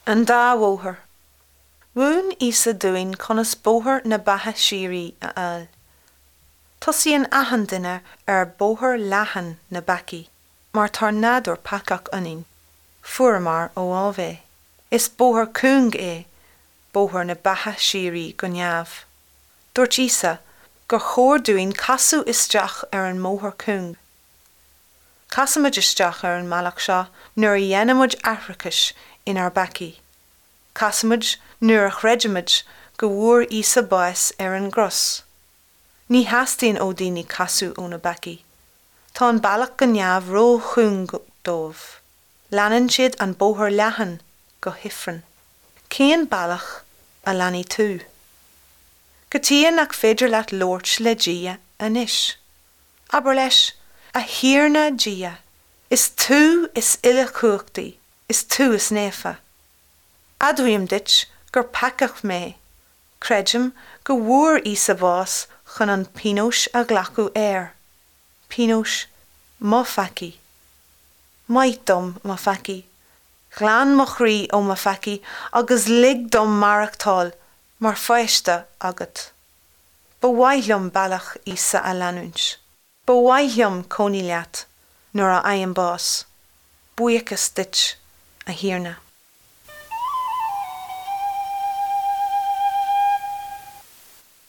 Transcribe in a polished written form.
An dá bhóthar. Mhúin Íosa dúinn conas bóthar na beatha síoraí a fháil. Tosaíonn achan duine ar bóthar leathan na bpeacaí, mar tá nádúr peacach ionainn, fuaireamar ó Ádhamh é. Is bóthar cúng é bóthar na beatha síoraí go neamh. Dúirt Íosa gur chóir dúinn casadh isteach ar an mbóthar cúng. Casaimid isteach ar an mbealach seo nuair a dhéanaimid aithreachas inár bpeacaí. Casaimid nuair a chreidimid go bhfuair Íosa bás ar an gcros. Ní theastaíonn ó daoine casadh óna bpeacaí. Tá an bealach go neamh ró-chúng dóibh. Leanann siad an bóthar leathan go hifreann. Cén bealach a leanfaidh tú? Cad chuige nach féidir leat labhairt le Dia anois? Abair leis, A Thiarna Dia, is tú is uilechumhachtaí, is tú is naofa. Admhaím duit gur peacach mé. Creidim go bhfuair Íosa bás chun an pionós a ghlacadh air, pionós mo pheacaí. Maith dom mo pheacaí. Glan mo chroí ó mo pheacaí agus lig dom maireachtáil mar pháiste agat. Ba mhaith liom bealach Íosa a leanúint. Ba mhaith liom cónaí leat nuair a fhaighim bás. Buíochas duit, a Thiarna.